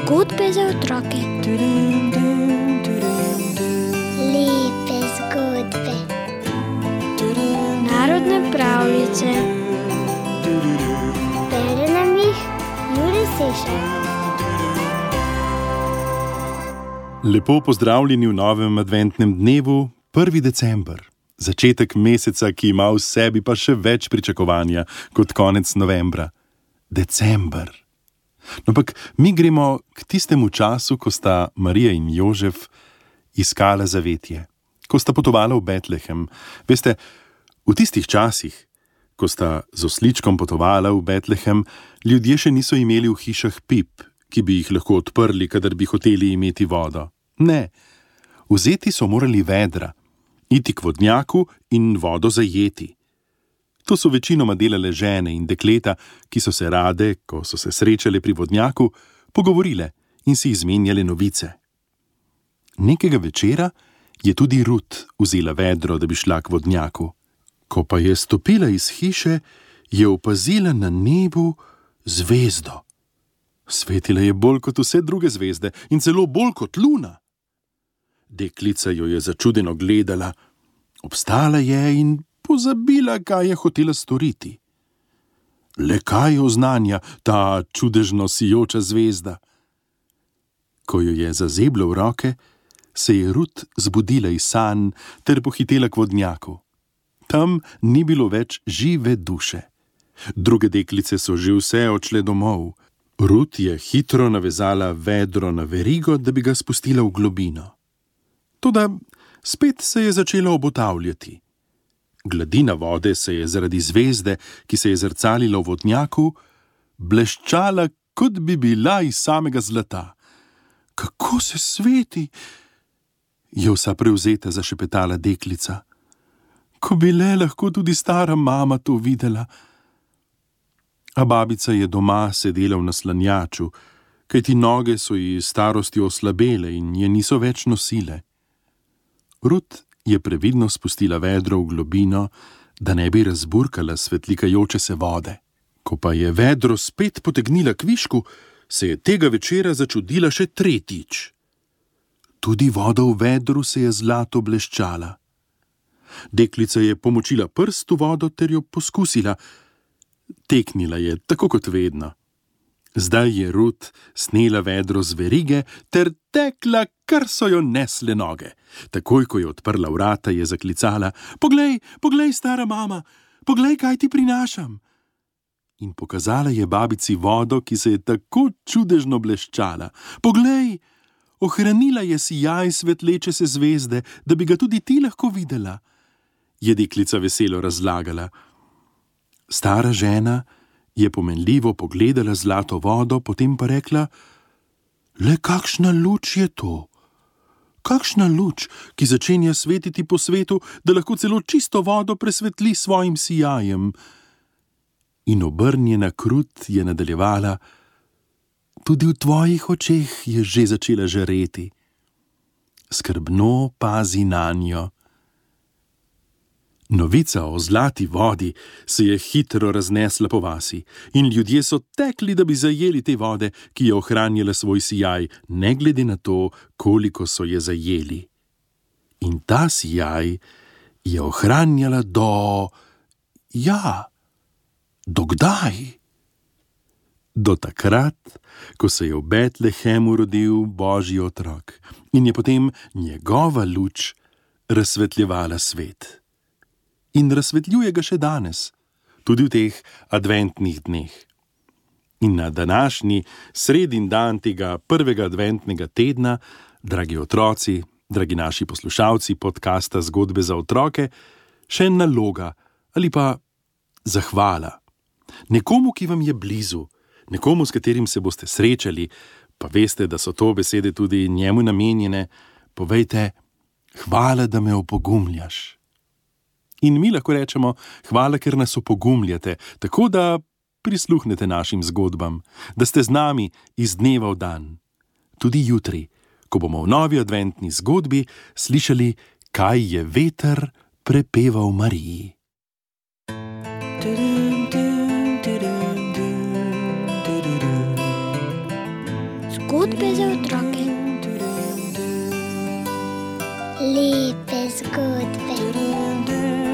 Zgodbe za otroke. Lepe zgodbe. Narodne pravljice. Bere nam jih Jure Sešar. Lepo pozdravljeni v novem adventnem dnevu, 1. december. Začetek meseca, ki ima v sebi pa še več pričakovanja kot konec novembra. December. No, ampak mi gremo k tistemu času, ko sta Marija in Jožef iskala zavetje, ko sta potovala v Betlehem. Veste, v tistih časih, ko sta z osličkom potovala v Betlehem, ljudje še niso imeli v hišah pip, ki bi jih lahko odprli, kadar bi hoteli imeti vodo. Ne, vzeti so morali vedra, iti k vodnjaku in vodo zajeti. To so večinoma delale žene in dekleta, ki so se rade, ko so se srečale pri vodnjaku, pogovorile in si izmenjale novice. Nekega večera je tudi Rut vzela vedro, da bi šla k vodnjaku. Ko pa je stopila iz hiše, je opazila na nebu zvezdo. Svetila je bolj kot vse druge zvezde in celo bolj kot luna. Deklica jo je začudeno gledala, obstala je in pozabila, kaj je hotela storiti. Le kaj oznanja ta čudežno sijoča zvezda? Ko jo je zazeblo v roke, se je Rut zbudila iz sanj ter pohitela k vodnjaku. Tam ni bilo več žive duše. Druge deklice so že vse odšle domov. Rut je hitro navezala vedro na verigo, da bi ga spustila v globino. Toda spet se je začela obotavljati. Gladina vode se je zaradi zvezde, ki se je zrcalila v vodnjaku, bleščala, kot bi bila iz samega zlata. Kako se sveti, je vsa prevzeta zašepetala deklica. Ko bi le lahko tudi stara mama to videla. A babica je doma sedela v naslanjaču, kajti noge so ji starosti oslabele in je niso več nosile. Rut je previdno spustila vedro v globino, da ne bi razburkala svetlikajoče se vode. Ko pa je vedro spet potegnila k višku, se je tega večera začudila še tretjič. Tudi voda v vedru se je zlato bleščala. Deklica je pomočila prst v vodo ter jo poskusila. Teknila je, tako kot vedno. Zdaj je Rut snela vedro z verige ter tekla, kar so jo nesle noge. Takoj, ko je odprla vrata, je zaklicala: Poglej, poglej, stara mama, poglej, kaj ti prinašam. In pokazala je babici vodo, ki se je tako čudežno bleščala. Poglej, ohranila je sijaj svetleče se zvezde, da bi ga tudi ti lahko videla, je deklica veselo razlagala. Stara žena je pomenljivo pogledala zlato vodo, potem pa rekla: Le kakšna luč je to? Kakšna luč, ki začenja svetiti po svetu, da lahko celo čisto vodo presvetli svojim sijajem. In obrnjena k Rut je nadaljevala: Tudi v tvojih očeh je že začela žareti. Skrbno pazi nanjo. Novica o zlati vodi se je hitro raznesla po vasi in ljudje so tekli, da bi zajeli te vode, ki je ohranjala svoj sijaj, ne glede na to, koliko so je zajeli. In ta sijaj je ohranjala do kdaj? Do takrat, ko se je v Betlehemu rodil Božji otrok in je potem njegova luč razsvetljevala svet. In razsvetljuje ga še danes, tudi v teh adventnih dneh. In na današnji sredin dan tega prvega adventnega tedna, dragi otroci, dragi naši poslušalci podcasta Zgodbe za otroke, še naloga ali pa zahvala. Nekomu, ki vam je blizu, nekomu, s katerim se boste srečali, pa veste, da so to besede tudi njemu namenjene, povejte: Hvala, da me opogumljaš. In mi lahko rečemo: Hvala, ker nas opogumljate, tako da prisluhnete našim zgodbam, da ste z nami iz dneva v dan. Tudi jutri, ko bomo v novi adventni zgodbi slišali, kaj je veter prepeval Mariji. Zgodbe za otroke. Lepe zgodbe.